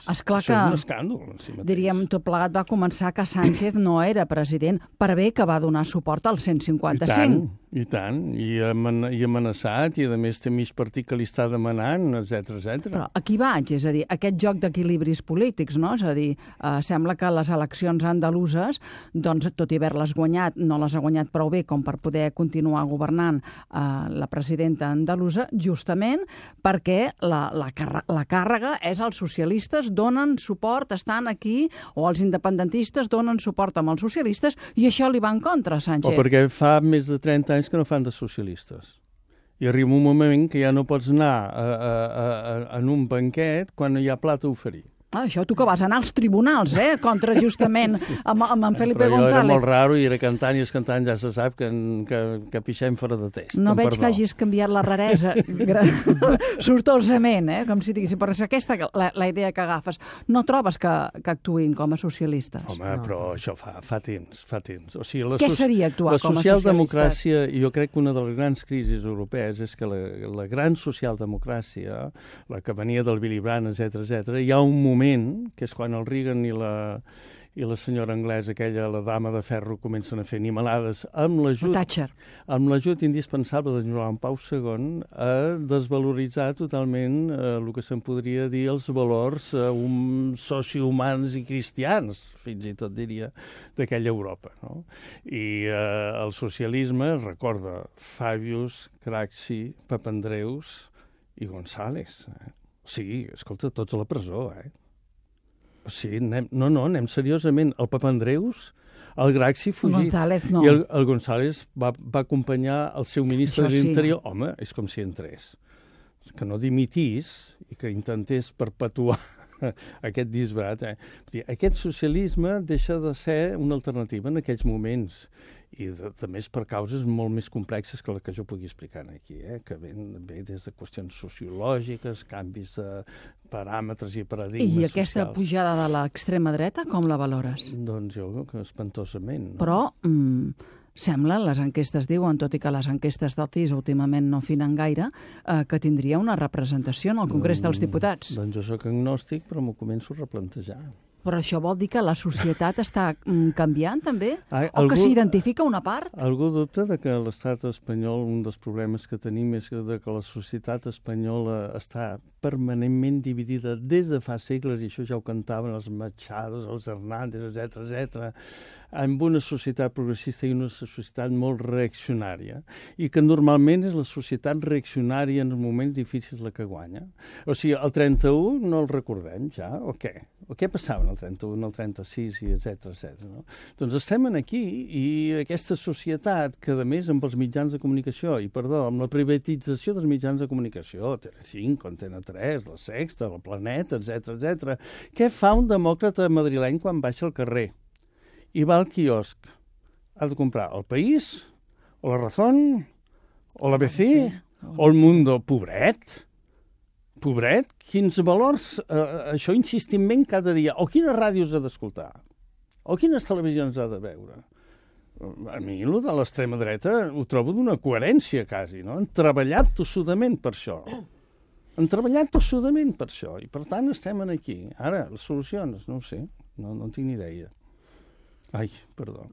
Esclar això és un escàndol en si mateix. Diríem, tot plegat va començar que Sánchez no era president, per bé que va donar suport al 155. I tant, i amenaçat, i a més té mig partit que li està demanant, etc. Però aquí vaig, és a dir, aquest joc d'equilibris polítics, no? És a dir, sembla que les eleccions andaluses, doncs, tot i haver-les guanyat, no les ha guanyat prou bé com per poder continuar governant la presidenta andalusa, justament perquè la càrrega és als socialistes, donen suport, estan aquí, o els independentistes donen suport amb els socialistes, i això li va en contra, Sánchez. O perquè fa més de 30 anys que no fan de socialistes. I arriba un moment que ja no pots anar en un banquet quan no hi ha plat a oferir. Això tu que vas anar als tribunals, contra justament amb en Felipe González. Però era molt raro i era cantant i escantant, ja se sap que pixem fora de test. No veig que hagis canviat la raresa sortosament, com si diguéssim, però és aquesta la idea que agafes. No trobes que actuïn com a socialistes? Home, però això fa temps. O sigui, què seria actuar com a socialistes? La socialdemocràcia, jo crec que una de les grans crisis europees és que la gran socialdemocràcia, la que venia del Willy Brandt, etc., hi ha un moment que és quan el Reagan i la senyora anglesa, aquella, la dama de ferro, comencen a fer animalades amb l'ajut indispensable de Joan Pau II a desvaloritzar totalment el que se'n podria dir els valors sociohumans i cristians, fins i tot diria, d'aquella Europa. No? I el socialisme recorda Fabius, Craxi, Papandreus i González. O sigui, escolta, tots a la presó, Sí, anem seriosament. El Papandreus, el Craxi fugit. González, no. I el González va acompanyar el seu ministre de l'Interior. Home, és com si entrés. Que no dimitís i que intentés perpetuar aquest disbarat. Aquest socialisme deixa de ser una alternativa en aquells moments i també és per causes molt més complexes que la que jo pugui explicar aquí, que ve des de qüestions sociològiques, canvis de paràmetres i paradigmes socials. I aquesta pujada de l'extrema dreta, com la valores? Doncs jo, espantosament. No? Però sembla, les enquestes diuen, tot i que les enquestes del CIS últimament no afinen gaire, que tindria una representació en el Congrés dels Diputats. Doncs jo soc agnòstic, però m'ho començo a replantejar. Però això vol dir que la societat està canviant, també? O que s'identifica una part? Algú dubta de que l'estat espanyol, un dels problemes que tenim és que la societat espanyola està permanentment dividida des de fa segles, i això ja ho cantaven els Machado, els Hernández, etc., amb una societat progressista i una societat molt reaccionària, i que normalment és la societat reaccionària en els moments difícils la que guanya. O sigui, el 31 no el recordem ja, o què? O què passava en el 31, el 36, i etc. No? Doncs estem aquí, i aquesta societat, que a més amb els mitjans de comunicació, amb la privatització dels mitjans de comunicació, Telecinco, Antena 3, La Sexta, El Planeta, etc., què fa un demòcrata madrileny quan baixa al carrer i va al quiosc? Ha de comprar El País, o La Razón, o l'ABC, o El Mundo. Pobret, quins valors, això insistentment cada dia, o quines ràdios ha d'escoltar, o quines televisions ha de veure. A mi, el de l'extrema dreta, ho trobo d'una coherència, quasi, no? Han treballat tossudament per això. I per tant estem aquí. Ara, les solucions, no ho sé, no en tinc ni idea. Ai, perdó.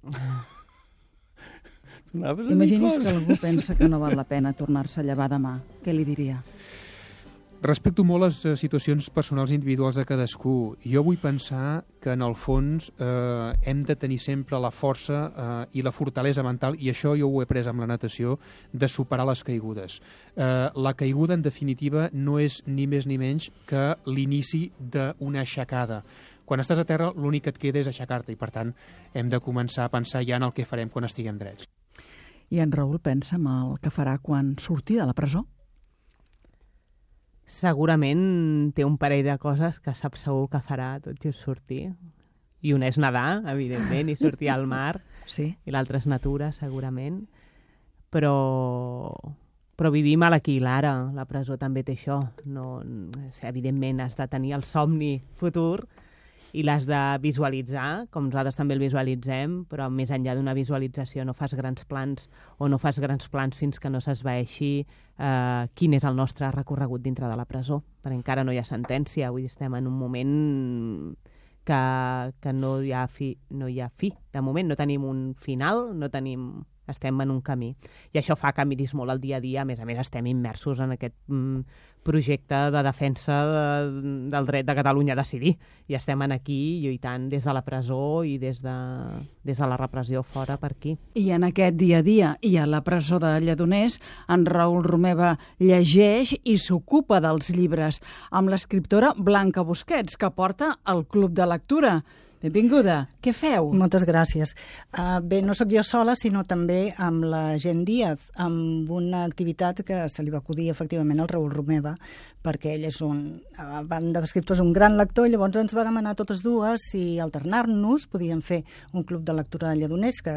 Imagini's que algú pensa que no val la pena tornar-se a llevar demà. Què li diria? Respecto molt les situacions personals individuals de cadascú. Jo vull pensar que, en el fons, hem de tenir sempre la força i la fortalesa mental, i això jo ho he après amb la natació, de superar les caigudes. La caiguda, en definitiva, no és ni més ni menys que l'inici d'una aixecada. Quan estàs a terra, l'únic que et queda és aixecar-te, i, per tant, hem de començar a pensar ja en el que farem quan estiguem drets. I en Raül pensa en el que farà quan surti de la presó? Segurament té un parell de coses que sap segur que farà tot just sortir. I una és nedar, evidentment, i sortir al mar. Sí. I l'altra és natura, segurament. Però vivim a l'aquí i l'ara. La presó també té això. No, evidentment, has de tenir el somni futur i l'has de visualitzar, com nosaltres també el visualitzem, però més enllà d'una visualització no fas grans plans, o no fas grans plans fins que no s'esvaeixi quin és el nostre recorregut dintre de la presó, perquè encara no hi ha sentència. Avui estem en un moment que no hi ha fi. De moment no tenim un final, estem en un camí. I això fa que miris molt el dia a dia. A més, estem immersos en aquest projecte de defensa del dret de Catalunya a decidir. I estem aquí lluitant des de la presó i des de la repressió fora per aquí. I en aquest dia a dia i a la presó de Lledoners, en Raül Romeva llegeix i s'ocupa dels llibres amb l'escriptora Blanca Busquets, que porta el Club de Lectura. Benvinguda. Què feu? Moltes gràcies. Bé, no sóc jo sola, sinó també amb la Gent Díaz, amb una activitat que se li va acudir efectivament al Raül Romeva perquè ell és a banda d'escriptors, un gran lector, i llavors ens va demanar totes dues si alternar-nos podíem fer un club de lectura de Lledoners, que,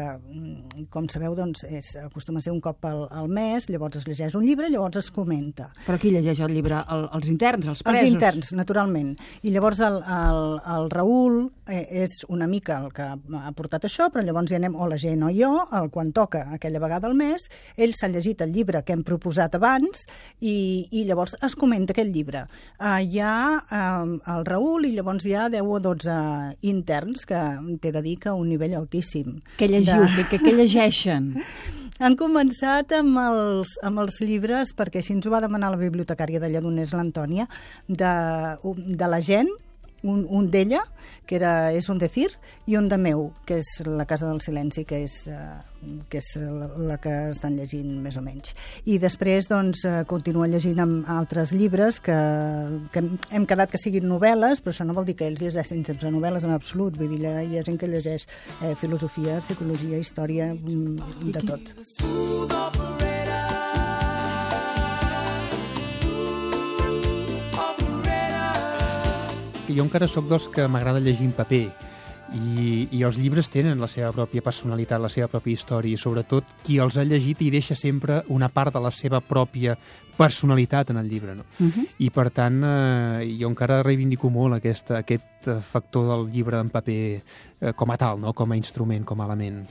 com sabeu, doncs, acostuma a ser un cop al mes, llavors es llegeix un llibre i llavors es comenta. Però qui llegeix el llibre? Els interns, els presos? Els interns, naturalment. I llavors el Raül és una mica el que ha portat això, però llavors hi anem o la gent o jo, quan toca aquella vegada al mes, ell s'ha llegit el llibre que hem proposat abans i llavors es comenta aquest llibre. Hi ha el Raül i llavors hi ha 10 o 12 interns que t'he de dir que a un nivell altíssim. Què llegiu? Què llegeixen? Han començat amb els llibres, perquè així ens ho va demanar la bibliotecària de Lledoners, l'Antònia, de la gent, un d'ella, que és un decir, i un de meu, que és La casa del silenci, que és la que estan llegint més o menys. I després doncs, continua llegint amb altres llibres que hem quedat que siguin novel·les, però això no vol dir que ells llegeixin sempre novel·les en absolut, vull dir, hi ha gent que llegeix filosofia, psicologia, història, de tot. Jo encara sóc dels que m'agrada llegir en paper i els llibres tenen la seva pròpia personalitat, la seva pròpia història, i sobretot qui els ha llegit hi deixa sempre una part de la seva pròpia personalitat en el llibre, no? I per tant jo encara reivindico molt aquest factor del llibre en paper com a tal, no? Com a instrument, com a element.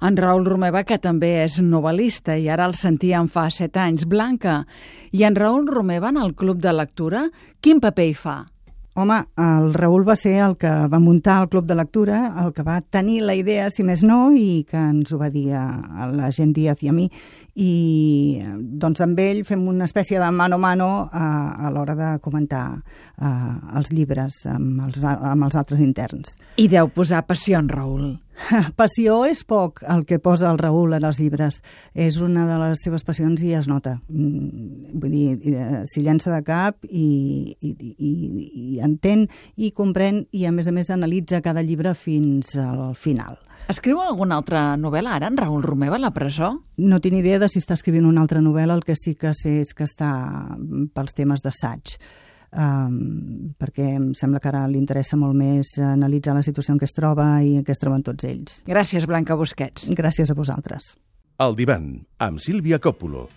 En Raül Romeva, que també és novel·lista, i ara el sentíem fa 7 anys. Blanca, i en Raül Romeva en el club de lectura, quin paper hi fa? Home, el Raül va ser el que va muntar el club de lectura, el que va tenir la idea, si més no, i que ens ho va dir a la gent Díaz i a mi, i doncs amb ell fem una espècie de mano a mano a l'hora de comentar els llibres amb els altres interns. I deu posar passió en Raül. Passió és poc el que posa el Raül en els llibres. És una de les seves passions i es nota. Vull dir, s'hi llença de cap i entén i comprèn i a més analitza cada llibre fins al final. Escriu alguna altra novel·la ara, en Raül Romeva, a la presó? No tinc idea de si està escrivint una altra novel·la, el que sí que sé és que està pels temes d'assaig. Perquè em sembla que ara li interessa molt més analitzar la situació en què es troba i en què es troben tots ells. Gràcies, Blanca Busquets. Gràcies a vosaltres. El divan, amb Sílvia Còpolo.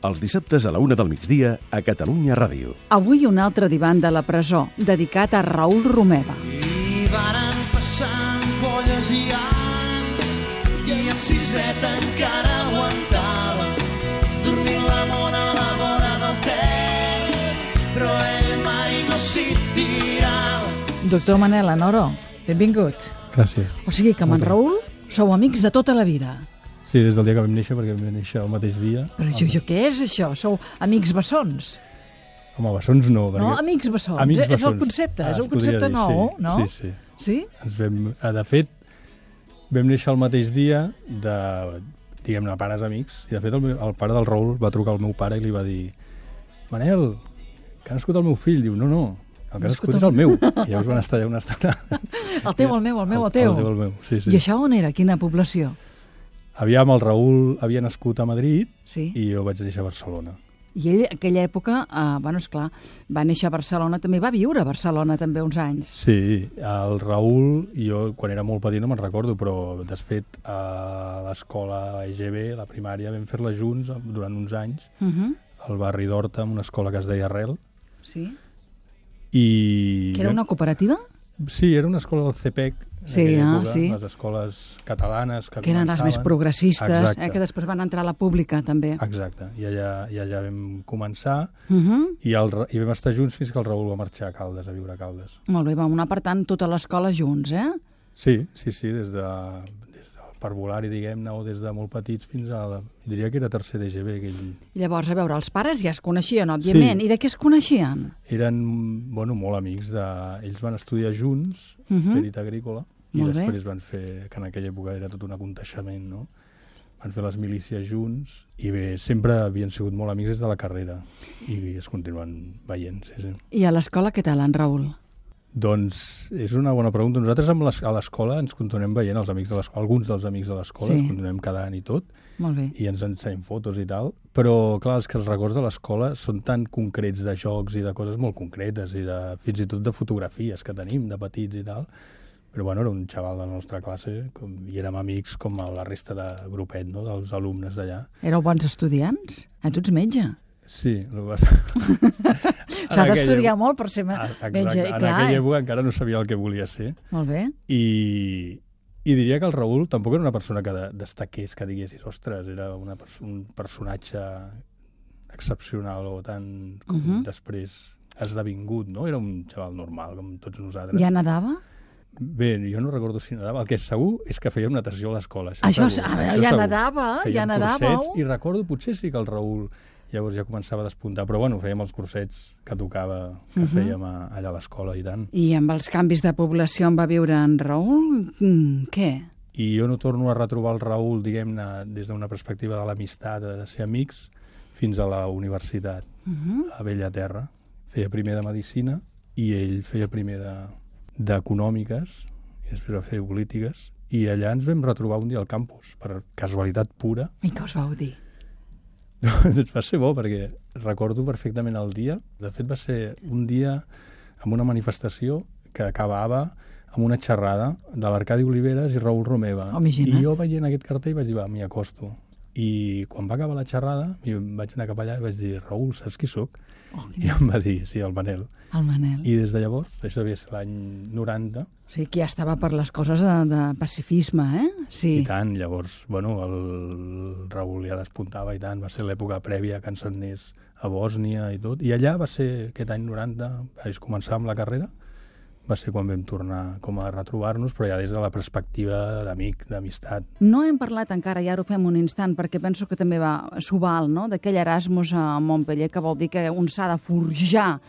Els dissabtes a la 1 del migdia a Catalunya Ràdio. Avui un altre divan de la presó, dedicat a Raül Romeva. I varen passar ampolles i anys i a siseta encara aguantava dormint la mona a la vora del Ter, però ell mai no s'hi tirava. Doctor Manel Anoro, benvingut. Gràcies. O sigui que amb en Raül sou amics de tota la vida. Sí, des del dia que vam néixer, perquè vam néixer el mateix dia. Però jo què és això? Sou amics bessons? Home, bessons no. No, amics bessons. Amics bessons. És el concepte, és un concepte nou, sí, no? Sí. Sí? De fet, vam néixer el mateix dia de, diguem-ne, pares amics, i de fet el pare del Raül va trucar al meu pare i li va dir: Manel, que ha nascut el meu fill. Diu, no, el que ha nascut és el meu. I llavors van estar allà una estona. El teu, el meu. El teu, el meu, sí. I això on era? Quina població? Aviam, el Raül havia nascut a Madrid, sí, i jo vaig néixer a Barcelona. I ell, en aquella època, esclar, va néixer a Barcelona, també va viure a Barcelona també uns anys. Sí, el Raül, jo quan era molt petit no me'n recordo, però de fet a l'escola EGB, la primària, vam fer-la junts durant uns anys, al barri d'Horta, en una escola que es deia Arrel. Sí. Que era una cooperativa? Sí, era una escola del CEPEC, sí, època, sí, les escoles catalanes que eren les més progressistes, que després van entrar a la pública també. Exacte, i allà vam començar i vam estar junts fins que el Raül va marxar a Caldes, a viure a Caldes. Molt bé, vam anar per tant tota l'escola junts, eh? Sí, des del parvulari, diguem-ne, o des de molt petits fins a, diria que era tercer d'EGB. Llavors, a veure, els pares ja es coneixien, òbviament. Sí. I de què es coneixien? Eren, molt amics. Ells van estudiar junts, perit agrícola, i després van fer, que en aquella època era tot un aconteixement, no? Van fer les milícies junts, i bé, sempre havien sigut molt amics des de la carrera, i es continuen veient, sí. I a l'escola què tal, en Raül? Doncs és una bona pregunta. Nosaltres a l'escola ens continuem veient, els amics de l'escola, alguns dels amics de l'escola, ens continuem cada any i tot, molt bé, i ens ensenyem fotos i tal, però clar, els records de l'escola són tan concrets de jocs i de coses molt concretes i fins i tot de fotografies que tenim de petits i tal, però bueno, era un xaval de la nostra classe i érem amics com la resta de grupet, no?, dels alumnes d'allà. Éreu bons estudiants? Tu ets metge. Sí, s'ha d'estudiar molt per ser metge. En aquella època encara no sabia el que volia ser. Molt bé. I diria que el Raül tampoc era una persona que destaqués, que diguessis, ostres, era un personatge excepcional o tan com després esdevingut, no? Era un xaval normal, com tots nosaltres. Ja nedava? Bé, jo no recordo si nedava. El que és segur és que fèiem natació a l'escola. Això ja nedava? Fèiem cursets i recordo, potser sí que el Raül llavors ja començava a despuntar, però bueno, fèiem els cursets que tocava, que fèiem allà a l'escola i tant. I amb els canvis de població on va viure en Raül, què? I jo no torno a retrobar el Raül, diguem-ne, des d'una perspectiva de l'amistat, de ser amics, fins a la universitat, a Bellaterra. Feia primer de Medicina i ell feia primer d'Econòmiques i després va fer Polítiques, i allà ens vam retrobar un dia al campus, per casualitat pura. I què us vau dir? Doncs va ser bo, perquè recordo perfectament el dia. De fet, va ser un dia amb una manifestació que acabava amb una xerrada de l'Arcadi Oliveres i Raül Romeva. I jo veient aquest cartell vaig dir, va, m'hi acosto. I quan va acabar la xerrada, vaig anar cap allà i vaig dir, Raül, saps qui sóc? I em va dir, sí, el Manel. El Manel. I des de llavors, això devia ser l'any 90... Sí, que ja estava per les coses de pacifisme, Sí. I tant, llavors, bueno, el Raül ja despuntava i tant, va ser l'època prèvia que ens anés a Bòsnia i tot, i allà va ser aquest any 90, vaig començar amb la carrera, va ser quan vam tornar com a retrobar-nos, però ja des de la perspectiva d'amic, d'amistat. No hem parlat encara, ja ho fem un instant, perquè penso que també s'ho val, no?, d'aquell Erasmus a Montpellier, que vol dir que un s'ha de forjar,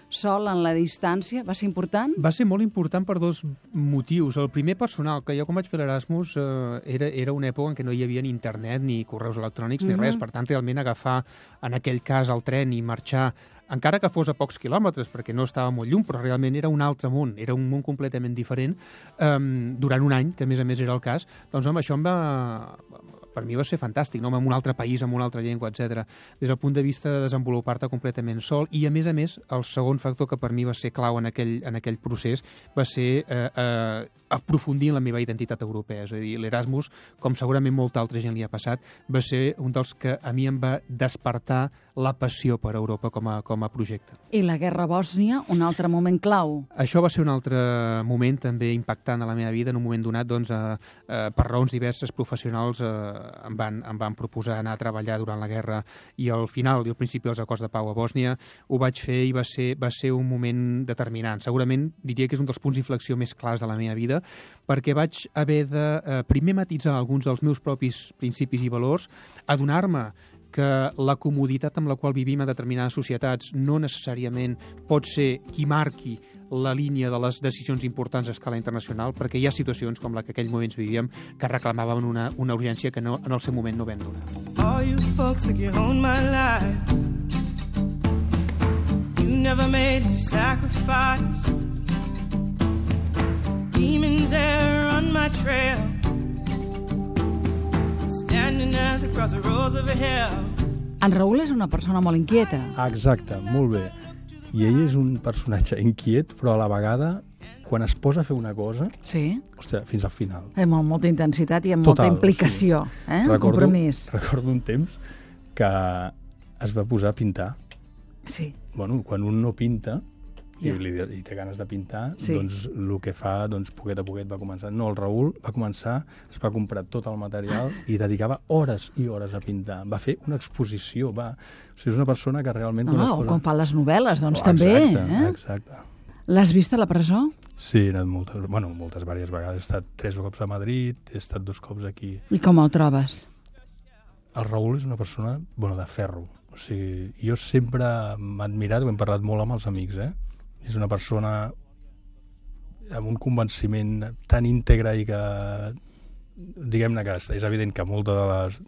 sol en la distància. Va ser important? Va ser molt important per dos motius. El primer, personal, que jo quan vaig fer l'Erasmus era una època en què no hi havia ni internet, ni correus electrònics, ni res. Per tant, realment agafar, en aquell cas, el tren i marxar, encara que fos a pocs quilòmetres, perquè no estava molt lluny, però realment era un altre món, era un món completament diferent, durant un any, que a més era el cas, doncs home, això per mi va ser fantàstic, no? En un altre país, amb una altra llengua, etc. Des del punt de vista de desenvolupar-te completament sol, i a més, el segon factor que per mi va ser clau en aquell procés va ser aprofundir en la meva identitat europea. És a dir, l'Erasmus, com segurament molta altra gent li ha passat, va ser un dels que a mi em va despertar la passió per Europa com a projecte. I la guerra a Bòsnia, un altre moment clau. Això va ser un altre moment també impactant a la meva vida. En un moment donat, doncs, per raons diverses professionals, em van proposar anar a treballar durant la guerra, i al final i al principi dels acords de pau a Bòsnia ho vaig fer, i va ser un moment determinant. Segurament diria que és un dels punts d'inflexió més clars de la meva vida, perquè vaig haver de primer matitzar alguns dels meus propis principis i valors, adonar-me que la comoditat amb la qual vivim a determinades societats no necessàriament pot ser qui marqui la línia de les decisions importants a escala internacional, perquè hi ha situacions com la que aquell moments vivíem que reclamaven una urgència que en el seu moment no vam donar. All you folks like you own my life. You never made a sacrifice. Demons there on my trail. Standing at the crossroads of hell. En Raül és una persona molt inquieta. Exacte, molt bé. I ell és un personatge inquiet, però a la vegada, quan es posa a fer una cosa, hòstia, fins al final. Amb molta intensitat i amb molta implicació, compromís. Recordo un temps que es va posar a pintar. Sí. Bueno, quan un no pinta i té ganes de pintar, doncs el que fa, poquet a poquet va començar. No, el Raül va començar, es va comprar tot el material i dedicava hores i hores a pintar. Va fer una exposició, O sigui, és una persona que realment... quan fa les novel·les, doncs també. Exacte. L'has vist a la presó? Sí, he anat moltes vàries vegades. He estat 3 cops a Madrid, he estat 2 cops aquí. I com el trobes? El Raül és una persona, de ferro. O sigui, jo sempre m'he admirat, ho hem parlat molt amb els amics, És una persona amb un convenciment tan íntegre i que, diguem-ne que és evident que molta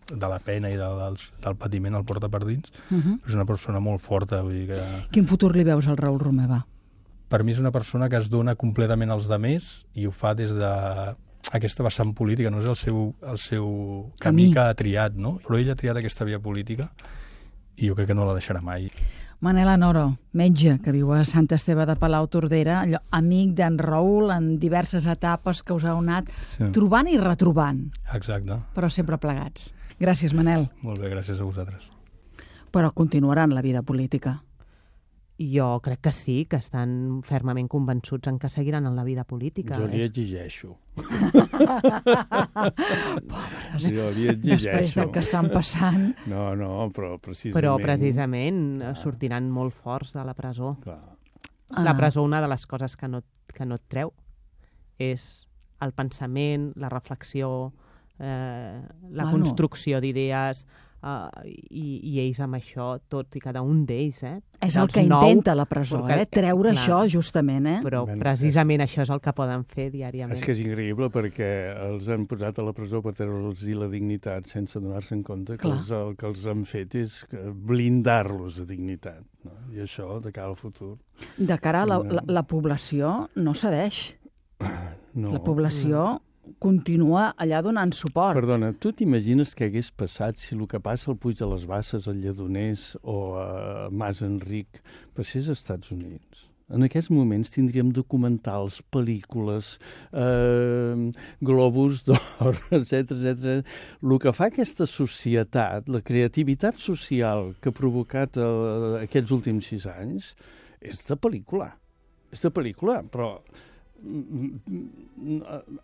de la pena i del patiment el porta per dins, és una persona molt forta. Vull dir que... Quin futur li veus al Raül Romeva? per mi és una persona que es dona completament als demés i ho fa des de aquesta vessant política, no és el seu camí que ha triat, no? Però ell ha triat aquesta via política i jo crec que no la deixarà mai. Manel Anoro, metge que viu a Sant Esteve de Palau-Tordera, amic d'en Raül en diverses etapes que us heu anat trobant i retrobant. Exacte. Però sempre plegats. Gràcies, Manel. Molt bé, gràcies a vosaltres. Però continuaran la vida política. Jo crec que sí, que estan fermament convençuts en que seguiran en la vida política. Jo li exigeixo. Pobres, jo li exigeixo. Després del que estan passant. No, però precisament... Però precisament sortiran molt forts de la presó. Clar. La presó, una de les coses que no et treu és el pensament, la reflexió, la construcció d'idees, i ells amb això, tot i cada un d'ells, És el que intenta la presó, treure això justament, Però precisament això és el que poden fer diàriament. És que és increïble perquè els han posat a la presó per treure'ls la dignitat sense donar-se en compte que el que els han fet és blindar-los de dignitat, no? I això de cara al futur. De cara a la població no cedeix. La població continua allà donant suport. Perdona, tu t'imagines què hagués passat si el que passa al Puig de les Basses, al Lledoners o a Mas Enric passés als Estats Units? En aquests moments tindríem documentals, pel·lícules, globus d'or, etc. El que fa aquesta societat, la creativitat social que ha provocat aquests últims 6 anys, és de pel·lícula. És de pel·lícula, però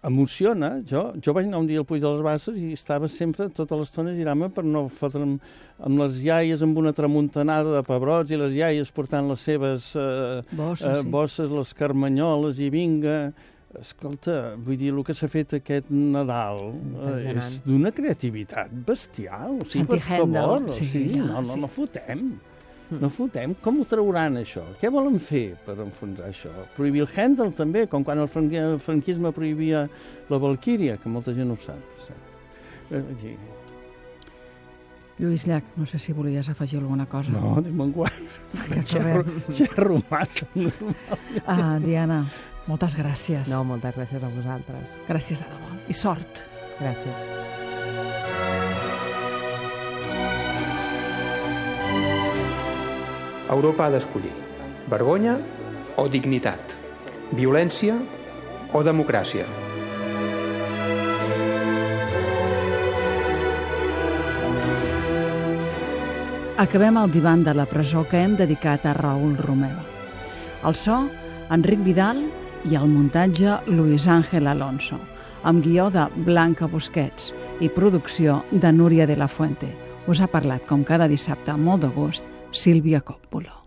emociona. Jo vaig anar un dia al Puig de les Basses i estava sempre tota l'estona girant-me per no fotre'm amb les iaies amb una tramuntanada de pebrots i les iaies portant les seves bosses, les carmanyoles i vinga. Escolta, vull dir, el que s'ha fet aquest Nadal és d'una creativitat bestial. O sigui, per favor, no fotem. No fotem. Com ho trauran, això? Què volen fer per enfonsar això? Prohibir el Händel, també, com quan el franquisme prohibia la Valquíria, que molta gent no ho sap. Lluís Llach, no sé si volies afegir alguna cosa. No, diuen quan. Xerro massa. Diana, moltes gràcies. No, moltes gràcies a vosaltres. Gràcies de debò. I sort. Gràcies. Europa ha d'escollir vergonya o dignitat, violència o democràcia. Acabem el divan de la presó que hem dedicat a Raül Romeva. El so, Enric Vidal, i el muntatge, Luis Ángel Alonso, amb guió de Blanca Busquets i producció de Núria de la Fuente. Us ha parlat, com cada dissabte, amb molt de gust, Sílvia Coppola.